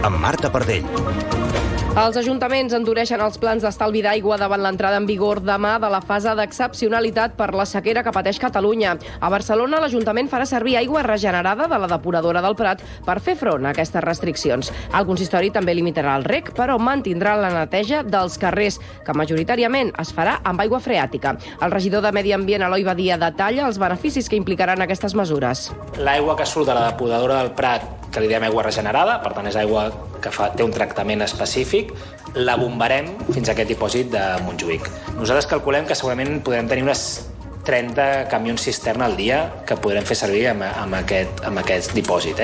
amb Marta Pardell. Els ajuntaments endureixen els plans d'estalvi d'aigua davant l'entrada en vigor demà de la fase d'excepcionalitat per la sequera que pateix Catalunya. A Barcelona, l'Ajuntament farà servir aigua regenerada de la depuradora del Prat per fer front a aquestes restriccions. El consistori també limitarà el reg, però mantindrà la neteja dels carrers, que majoritàriament es farà amb aigua freàtica. El regidor de Medi Ambient, Eloi Badia, detalla els beneficis que implicaran aquestes mesures. L'aigua que surt de la depuradora del Prat, que li diem aigua regenerada, per tant és aigua que té un tractament específic, la bombarem fins a aquest dipòsit de Montjuïc. Nosaltres calculem que segurament podrem tenir unes 30 camions cisterna al dia que podrem fer servir amb aquest dipòsit.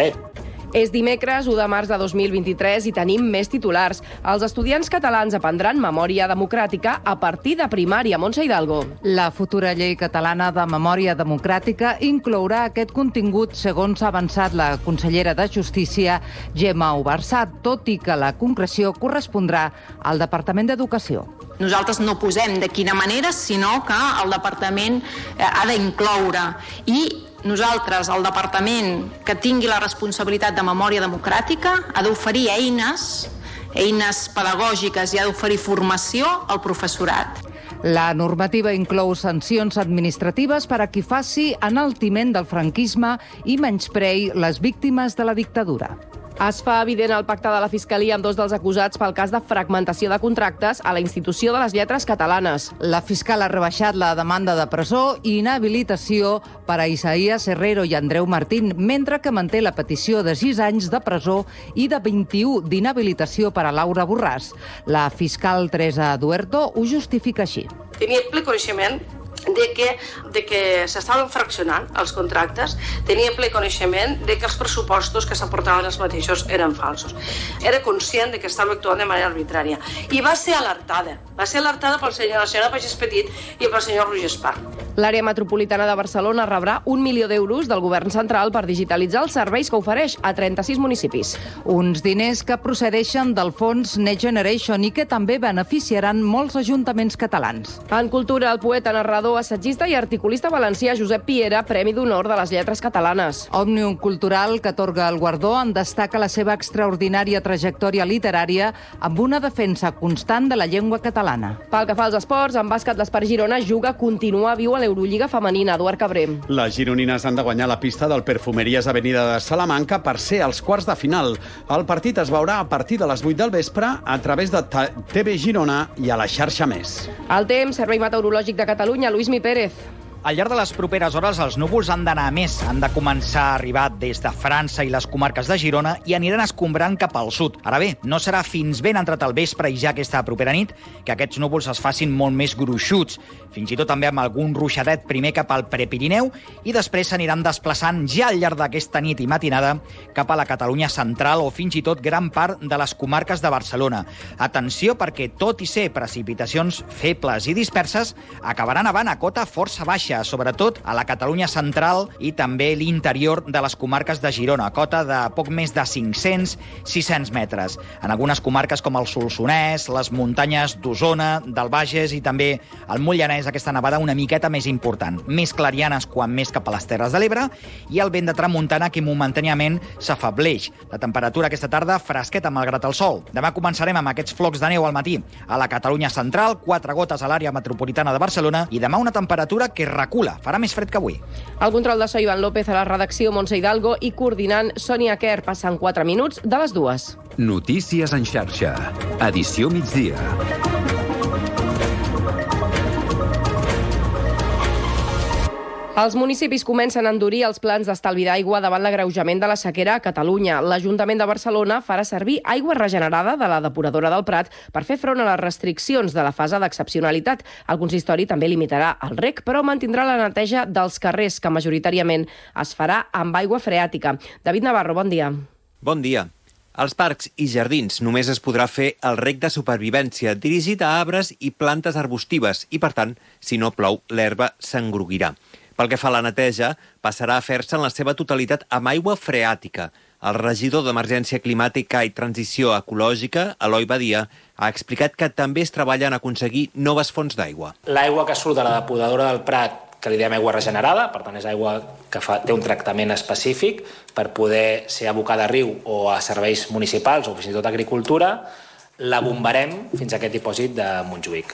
És dimecres, 1 de març de 2023, i tenim més titulars. Els estudiants catalans aprendran memòria democràtica a partir de primària. Montse Hidalgo. La futura llei catalana de memòria democràtica inclourà aquest contingut, segons ha avançat la consellera de Justícia, Gemma Ubarsat, tot i que la concreció correspondrà al Departament d'Educació. Nosaltres no posem de quina manera, sinó que el Departament ha d'incloure. I nosaltres, el Departament que tingui la responsabilitat de memòria democràtica, ha d'oferir eines pedagògiques i ha d'oferir formació al professorat. La normativa inclou sancions administratives per a qui faci enaltiment del franquisme i menysprei les víctimes de la dictadura. Es fa evident el pacte de la Fiscalia amb dos dels acusats pel cas de fragmentació de contractes a la Institució de les Lletres Catalanes. La fiscal ha rebaixat la demanda de presó i inhabilitació per a Isaías Herrero i Andreu Martín, mentre que manté la petició de 6 anys de presó i de 21 d'inhabilitació per a Laura Borràs. La fiscal Teresa Duerto ho justifica així. Tenia ple coneixement de que s'estaven fraccionant els contractes, tenia ple coneixement de que els pressupostos que s'aportaven els mateixos eren falsos. Era conscient de que estava actuant de manera arbitrària i va ser alertada la senyora Pagès Petit i pel senyor Roger Espar. L'àrea metropolitana de Barcelona rebrà 1 milió d'euros del govern central per digitalitzar els serveis que ofereix a 36 municipis. Uns diners que procedeixen del fons Next Generation i que també beneficiaran molts ajuntaments catalans. En cultura, el poeta, narrador, assagista i articulista valencià Josep Piera, Premi d'Honor de les Lletres Catalanes. Òmnium Cultural, que atorga el guardó, en destaca la seva extraordinària trajectòria literària amb una defensa constant de la llengua catalana. Pel que fa als esports, en bàsquet l'Espart Girona continua viu a l'Eurolliga femenina. Eduard Cabré. Les gironines han de guanyar la pista del Perfumeries Avenida de Salamanca per ser als quarts de final. El partit es veurà a partir de les 8 del vespre a través de TV Girona i a la xarxa Més. El temps, Servei Meteorològic de Catalunya, Lluís Pérez. Al llarg de les properes hores els núvols han d'anar més, han de començar a arribar des de França i les comarques de Girona i aniran escombrant cap al sud. Ara bé, no serà fins ben entrat el vespre i ja aquesta propera nit que aquests núvols es facin molt més gruixuts, fins i tot també amb algun ruixadet primer cap al Prepirineu i després s'aniran desplaçant ja al llarg d'aquesta nit i matinada cap a la Catalunya central o fins i tot gran part de les comarques de Barcelona. Atenció perquè tot i ser precipitacions febles i disperses acabaran avant a cota força baixa, sobretot a la Catalunya central i també l'interior de les comarques de Girona, cota de poc més de 500-600 metres. En algunes comarques com el Solsonès, les muntanyes d'Osona, del Bages i també el Moianès, aquesta nevada una miqueta més important. Més clarianes quan més cap a les Terres de l'Ebre i el vent de tramuntana que momentàniament s'afableix. La temperatura aquesta tarda fresqueta malgrat el sol. Demà començarem amb aquests flocs de neu al matí a la Catalunya central, 4 gotes a l'àrea metropolitana de Barcelona i demà una temperatura que recula, farà més fred que avui. El control de so, Ivan López, a la redacció, Montse Hidalgo, i coordinant Sònia Kerr. Passen 4 minuts de les 2. Notícies en xarxa. Edició migdia. Els municipis comencen a endurir els plans d'estalvi d'aigua davant l'agreujament de la sequera a Catalunya. L'Ajuntament de Barcelona farà servir aigua regenerada de la depuradora del Prat per fer front a les restriccions de la fase d'excepcionalitat. El consistori també limitarà el reg, però mantindrà la neteja dels carrers, que majoritàriament es farà amb aigua freàtica. David Navarro, bon dia. Bon dia. Als parcs i jardins només es podrà fer el reg de supervivència dirigit a arbres i plantes arbustives i, per tant, si no plou, l'herba s'engruguirà. Pel que fa a la neteja, passarà a fer-se en la seva totalitat amb aigua freàtica. El regidor d'Emergència Climàtica i Transició Ecològica, Eloi Badia, ha explicat que també es treballa en aconseguir noves fonts d'aigua. L'aigua que surt de la depuradora del Prat, que li diem aigua regenerada, per tant és aigua que té un tractament específic per poder ser abocada a riu o a serveis municipals o fins i tot agricultura, la bombarem fins a aquest dipòsit de Montjuïc.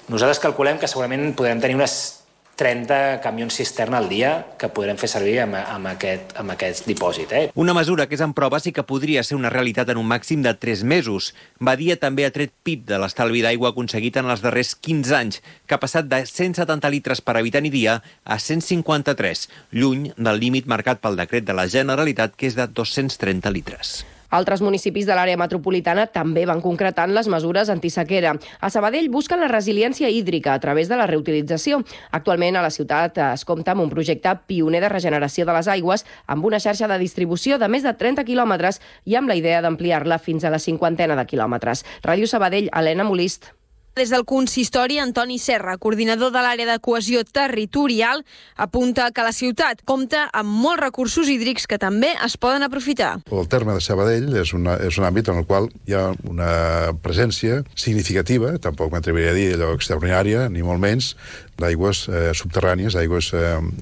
Nosaltres calculem que segurament podrem tenir unes 30 camions cisterna al dia que podrem fer servir amb aquest dipòsit. Una mesura que és en proves i que podria ser una realitat en un màxim de 3 mesos. Badia també ha tret pit de l'estalvi d'aigua aconseguit en els darrers 15 anys, que ha passat de 170 litres per habitant i dia a 153, lluny del límit marcat pel decret de la Generalitat, que és de 230 litres. Altres municipis de l'àrea metropolitana també van concretant les mesures antisequera. A Sabadell busquen la resiliència hídrica a través de la reutilització. Actualment a la ciutat es compta amb un projecte pioner de regeneració de les aigües amb una xarxa de distribució de més de 30 quilòmetres i amb la idea d'ampliar-la fins a la 50 de quilòmetres. Ràdio Sabadell, Helena Molist. Des del consistori, Antoni Serra, coordinador de l'àrea de cohesió territorial, apunta que la ciutat compta amb molts recursos hídrics que també es poden aprofitar. El terme de Sabadell és un àmbit en el qual hi ha una presència significativa, tampoc m'atreviria a dir allò extraordinària, ni molt menys, d'aigües subterrànies, d'aigües,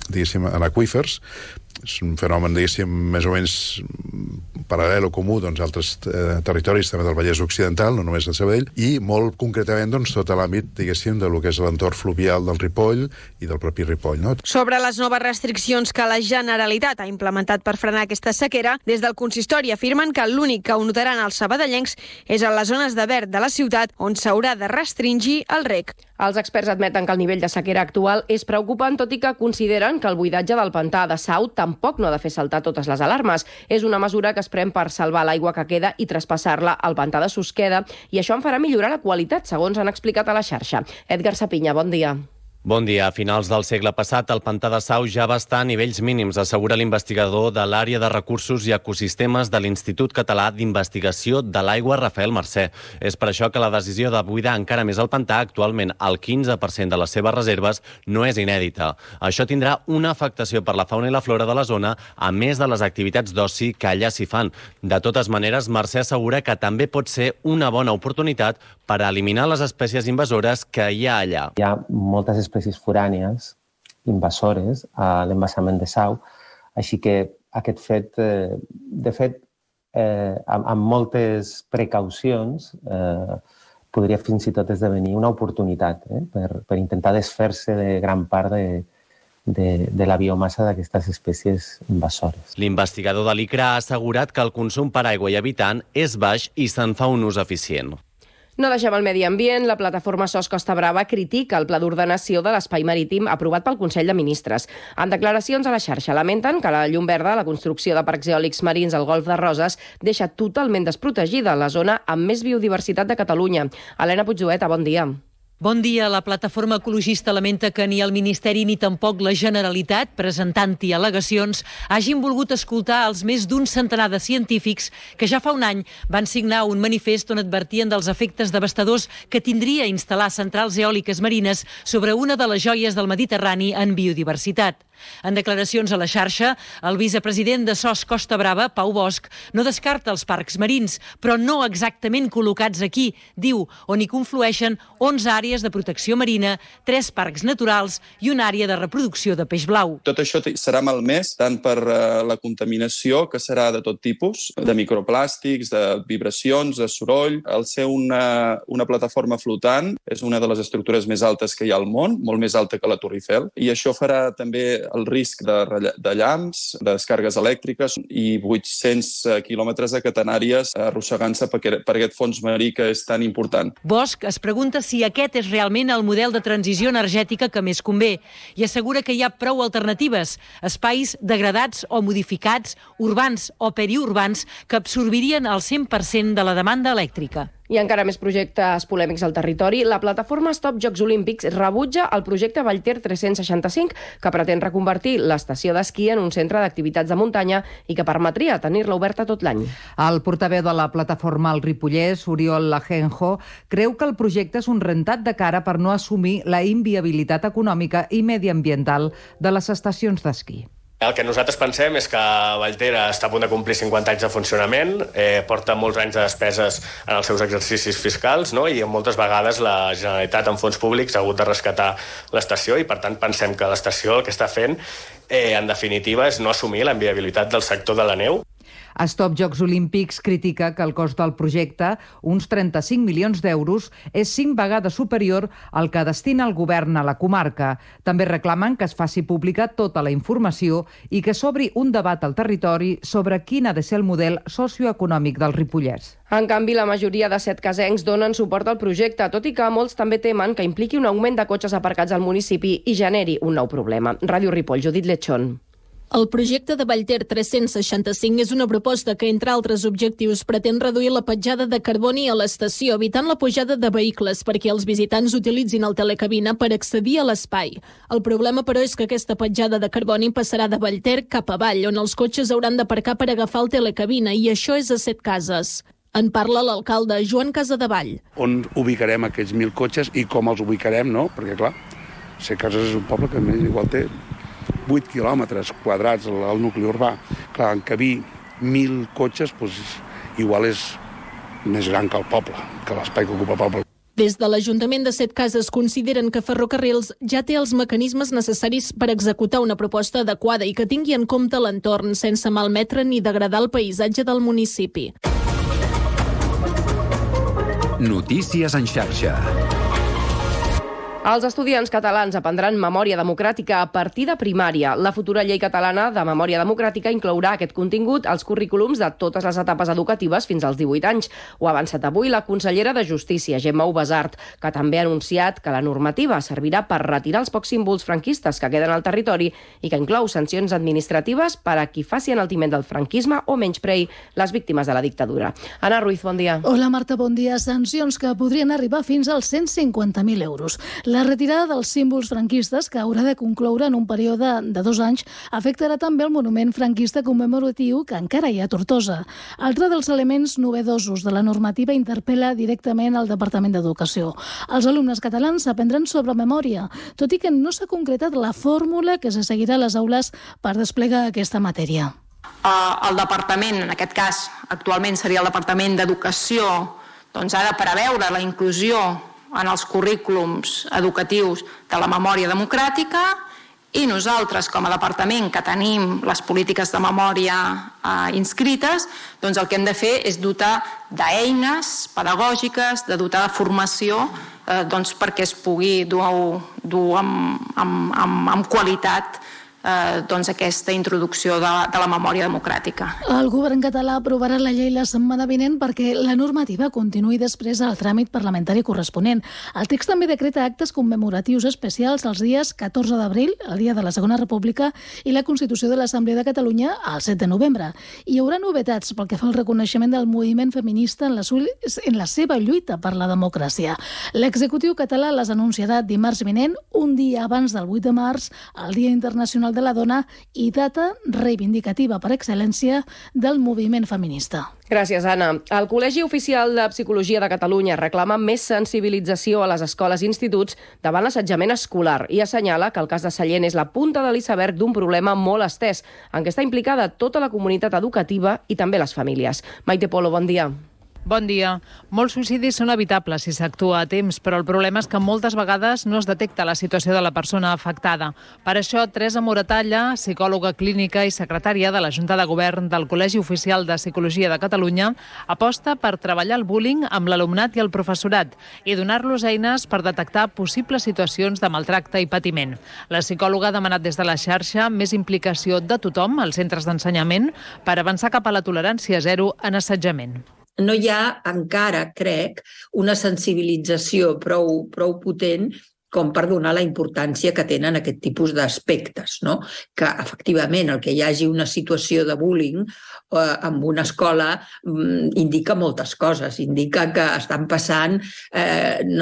diguéssim, en aqüífers. És un fenomen, diguéssim, més o menys paral·lel o comú a altres territoris també del Vallès Occidental, no només de Sabadell, i molt concretament tot l'àmbit, diguéssim, de lo que és l'entorn fluvial del Ripoll i del propi Ripoll. No? Sobre les noves restriccions que la Generalitat ha implementat per frenar aquesta sequera, des del consistori afirmen que l'únic que ho notaran els sabadellencs és a les zones de verd de la ciutat on s'haurà de restringir el reg. Els experts admeten que el nivell de sequera actual és preocupant, tot i que consideren que el buidatge del pantà de Sau tampoc no ha de fer saltar totes les alarmes. És una mesura que es pren per salvar l'aigua que queda i traspassar-la al pantà de Susqueda, i això en farà millorar la qualitat, segons han explicat a la xarxa. Edgar Sapinya, bon dia. Bon dia. A finals del segle passat, el pantà de Sau ja va estar a nivells mínims, assegura l'investigador de l'àrea de recursos i ecosistemes de l'Institut Català d'Investigació de l'Aigua, Rafael Mercè. És per això que la decisió de buidar encara més el pantà, actualment el 15% de les seves reserves, no és inèdita. Això tindrà una afectació per la fauna i la flora de la zona, a més de les activitats d'oci que allà s'hi fan. De totes maneres, Mercè assegura que també pot ser una bona oportunitat per eliminar les espècies invasores que hi ha allà. Hi ha moltes espècies forànies invasores a l'embassament de Sau, així que aquest fet, de fet, amb moltes precaucions, podria fins i tot esdevenir una oportunitat per intentar desfer-se de gran part de la biomassa d'aquestes espècies invasores. L'investigador de l'ICRA ha assegurat que el consum per aigua i habitant és baix i se'n fa un ús eficient. No deixem el medi ambient. La plataforma SOS Costa Brava critica el pla d'ordenació de l'espai marítim aprovat pel Consell de Ministres. En declaracions a la xarxa lamenten que la llum verda, la construcció de parcs eòlics marins al Golf de Roses, deixa totalment desprotegida la zona amb més biodiversitat de Catalunya. Helena Puigdueta, bon dia. Bon dia. La plataforma ecologista lamenta que ni el Ministeri ni tampoc la Generalitat, presentant-hi al·legacions, hagin volgut escoltar els més d'un centenar de científics que ja fa un any van signar un manifest on advertien dels efectes devastadors que tindria instal·lar centrals eòliques marines sobre una de les joies del Mediterrani en biodiversitat. En declaracions a la xarxa, el vicepresident de SOS Costa Brava, Pau Bosch, no descarta els parcs marins, però no exactament col·locats aquí, diu, on hi conflueixen 11 àrees de protecció marina, 3 parcs naturals i una àrea de reproducció de peix blau. Tot això serà malmès tant per la contaminació, que serà de tot tipus, de microplàstics, de vibracions, de soroll. Al ser una plataforma flotant, és una de les estructures més altes que hi ha al món, molt més alta que la Torre Eiffel, i això farà també el risc de llamps, de descàrregues elèctriques i 800 quilòmetres de catenàries arrossegant-se per aquest fons marí que és tan important. Bosch es pregunta si aquest és realment el model de transició energètica que més convé i assegura que hi ha prou alternatives, espais degradats o modificats, urbans o periurbans, que absorbirien el 100% de la demanda elèctrica. I encara més projectes polèmics al territori. La plataforma Stop Jocs Olímpics rebutja el projecte Vallter 365, que pretén reconvertir l'estació d'esquí en un centre d'activitats de muntanya i que permetria tenir-la oberta tot l'any. El portaveu de la plataforma al Ripollès, Oriol Lajenjo, creu que el projecte és un rentat de cara per no assumir la inviabilitat econòmica i mediambiental de les estacions d'esquí. El que nosaltres pensem és que Vallter està a punt de complir 50 anys de funcionament, porta molts anys de despeses en els seus exercicis fiscals, no? I moltes vegades la Generalitat en fons públics ha hagut de rescatar l'estació i per tant pensem que l'estació el que està fent en definitiva és no assumir la inviabilitat del sector de la neu. Stop Jocs Olímpics critica que el cost del projecte, uns 35 milions d'euros, és 5 vegades superior al que destina el govern a la comarca. També reclamen que es faci pública tota la informació i que s'obri un debat al territori sobre quin ha de ser el model socioeconòmic del Ripollès. En canvi, la majoria de setcasencs donen suport al projecte, tot i que molts també temen que impliqui un augment de cotxes aparcats al municipi i generi un nou problema. Ràdio Ripoll, Judit Lechón. El projecte de Vallter 365 és una proposta que, entre altres objectius, pretén reduir la petjada de carboni a l'estació, evitant la pujada de vehicles perquè els visitants utilitzin el telecabina per accedir a l'espai. El problema, però, és que aquesta petjada de carboni passarà de Vallter cap avall, on els cotxes hauran d'aparcar per agafar el telecabina, i això és a Setcases. En parla l'alcalde Joan Casadevall. On ubicarem aquests 1.000 cotxes i com els ubicarem, no? Perquè, clar, Setcases és un poble que més igual té 8 quilòmetres quadrats al nucli urbà. Clar, encabir 1.000 cotxes, doncs, igual és més gran que el poble, que l'espai que ocupa el poble. Des de l'Ajuntament de Setcases consideren que Ferrocarrils ja té els mecanismes necessaris per executar una proposta adequada i que tingui en compte l'entorn sense malmetre ni degradar el paisatge del municipi. Notícies en xarxa. Els estudiants catalans aprendran memòria democràtica a partir de primària. La futura llei catalana de memòria democràtica inclourà aquest contingut als currículums de totes les etapes educatives fins als 18 anys. Ho ha avançat avui la consellera de Justícia, Gemma Ubasart, que també ha anunciat que la normativa servirà per retirar els pocs símbols franquistes que queden al territori i que inclou sancions administratives per a qui faci enaltiment del franquisme o menysprei les víctimes de la dictadura. Anna Ruiz, bon dia. Hola, Marta, bon dia. Sancions que podrien arribar fins als 150.000 euros. La retirada dels símbols franquistes, que haurà de concloure en un període de 2 anys, afectarà també el monument franquista commemoratiu que encara hi ha a Tortosa. Altre dels elements novedosos de la normativa interpel·la directament al Departament d'Educació. Els alumnes catalans aprendran sobre memòria, tot i que no s'ha concretat la fórmula que se seguirà a les aules per desplegar aquesta matèria. El departament, en aquest cas, actualment seria el Departament d'Educació, doncs ha de preveure la inclusió en els currículums educatius de la memòria democràtica i nosaltres, com a departament que tenim les polítiques de memòria inscrites, doncs el que hem de fer és dotar d'eines pedagògiques, de dotar de formació doncs perquè es pugui dur amb qualitat doncs aquesta introducció de la memòria democràtica. El govern català aprovarà la llei la setmana vinent perquè la normativa continuï després al tràmit parlamentari corresponent. El text també decreta actes commemoratius especials els dies 14 d'abril, el dia de la Segona República, i la Constitució de l'Assemblea de Catalunya el 7 de novembre. Hi haurà novetats pel que fa al reconeixement del moviment feminista en la seva lluita per la democràcia. L'executiu català les anunciarà dimarts vinent, un dia abans del 8 de març, el Dia Internacional de la Dona i data reivindicativa per excel·lència del moviment feminista. Gràcies, Anna. El Col·legi Oficial de Psicologia de Catalunya reclama més sensibilització a les escoles i instituts davant l'assetjament escolar i assenyala que el cas de Sallent és la punta de l'iceberg d'un problema molt estès, en què està implicada tota la comunitat educativa i també les famílies. Maite Polo, bon dia. Bon dia. Molts suïcidis són evitables si s'actua a temps, però el problema és que moltes vegades no es detecta la situació de la persona afectada. Per això, Teresa Moratalla, psicòloga clínica i secretària de la Junta de Govern del Col·legi Oficial de Psicologia de Catalunya, aposta per treballar el bullying amb l'alumnat i el professorat i donar-los eines per detectar possibles situacions de maltracte i patiment. La psicòloga ha demanat des de la xarxa més implicació de tothom als centres d'ensenyament per avançar cap a la tolerància zero en assetjament. No hi ha encara, crec, una sensibilització prou potent com per donar la importància que tenen aquest tipus d'aspectes, no? Que, efectivament, el que hi hagi una situació de bullying en una escola indica moltes coses. Indica que estan passant,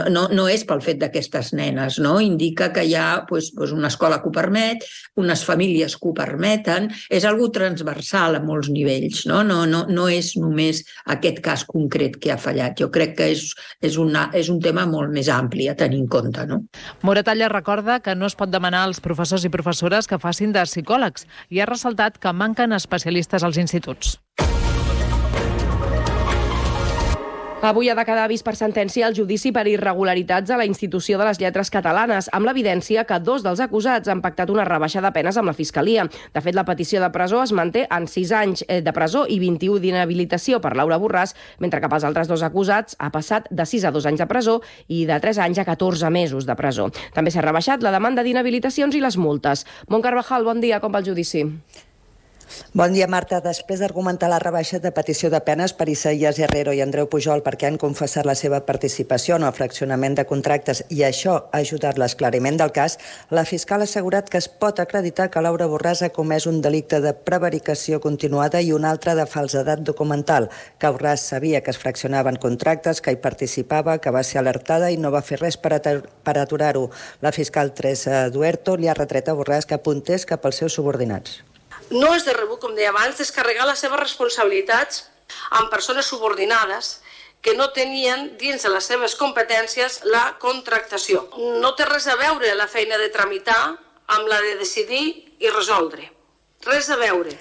no és pel fet d'aquestes nenes, no? Indica que hi ha una escola que ho permet, unes famílies que ho permeten, és algo transversal a molts nivells, no? No és només aquest cas concret que ha fallat. Jo crec que és un tema molt més ampli a tenir en compte, no? Moratalla recorda que no es pot demanar als professors i professores que facin de psicòlegs i ha ressaltat que manquen especialistes als instituts. Avui ha de quedar vist per sentència el judici per irregularitats a la Institució de les Lletres Catalanes, amb l'evidència que 2 dels acusats han pactat una rebaixa de penes amb la Fiscalia. De fet, la petició de presó es manté en 6 anys de presó i 21 d'inhabilitació per Laura Borràs, mentre que pels altres 2 acusats ha passat de 6 a 2 anys de presó i de 3 anys a 14 mesos de presó. També s'ha rebaixat la demanda d'inhabilitacions i les multes. Mont Carvajal, bon dia, com va el judici? Bon dia, Marta. Després d'argumentar la rebaixa de petició de penes per Isaías Herrero i Andreu Pujol perquè han confessat la seva participació en el fraccionament de contractes i això ha ajudat l'esclariment del cas, la fiscal ha assegurat que es pot acreditar que Laura Borràs ha comès un delicte de prevaricació continuada i un altre de falsedat documental, que Borràs sabia que es fraccionaven contractes, que hi participava, que va ser alertada i no va fer res per aturar-ho. La fiscal Teresa Duerto li ha retret a Borràs que apuntés cap als seus subordinats. No és de rebut, com deia abans, descarregar les seves responsabilitats amb persones subordinades que no tenien dins de les seves competències la contractació. No té res a veure la feina de tramitar amb la de decidir i resoldre. Res a veure.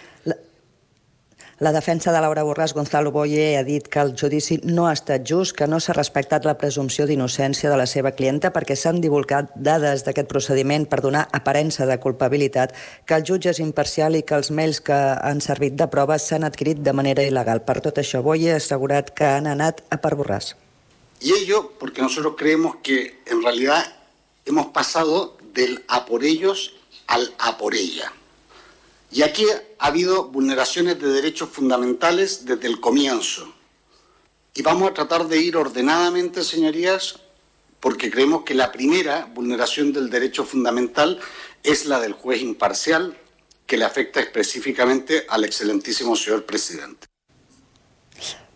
La defensa de Laura Borràs, Gonzalo Boye, ha dit que el judici no ha estat just, que no s'ha respectat la presumpció d'innocència de la seva clienta perquè s'han divulgat dades d'aquest procediment per donar aparença de culpabilitat, que el jutge és imparcial i que els mails que han servit de prova s'han adquirit de manera il·legal. Per tot això, Boye ha assegurat que han anat a per Borràs. Y ello porque nosotros creemos que en realidad hemos pasado del a por ellos al a por ella. Y aquí ha habido vulneraciones de derechos fundamentales desde el comienzo. Y vamos a tratar de ir ordenadamente, señorías, porque creemos que la primera vulneración del derecho fundamental es la del juez imparcial, que le afecta específicamente al excelentísimo señor presidente.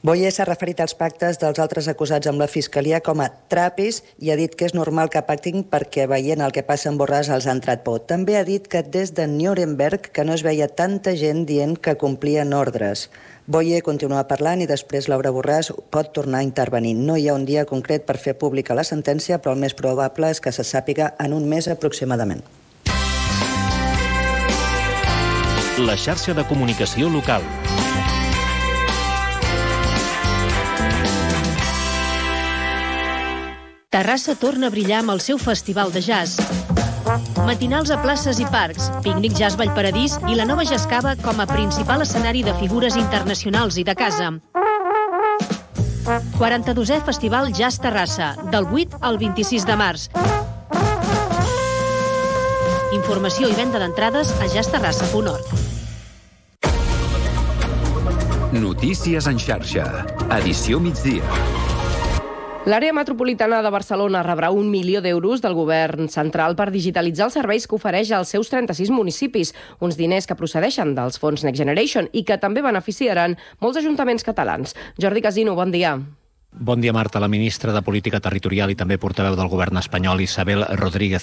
Boye s'ha referit als pactes dels altres acusats amb la Fiscalia com a trapis i ha dit que és normal que pactin perquè veient el que passa amb Borràs els ha entrat por. També ha dit que des de Nuremberg que no es veia tanta gent dient que complien ordres. Boye continua parlant i després Laura Borràs pot tornar a intervenir. No hi ha un dia concret per fer pública la sentència, però el més probable és que se sàpiga en un mes aproximadament. La xarxa de comunicació local. Terrassa torna a brillar amb el seu festival de jazz. Matinals a places i parcs, pícnic Jazz Vallparadís i la nova Jazzcava com a principal escenari de figures internacionals i de casa. 42è Festival Jazz Terrassa, del 8 al 26 de març. Informació i venda d'entrades a jazzterrassa.org. Notícies en xarxa. Edició migdia. L'àrea metropolitana de Barcelona rebrà 1 milió d'euros del govern central per digitalitzar els serveis que ofereix als seus 36 municipis, uns diners que procedeixen dels fons Next Generation i que també beneficiaran molts ajuntaments catalans. Jordi Casino, bon dia. Bon dia, Marta. La ministra de Política Territorial i també portaveu del govern espanyol, Isabel Rodríguez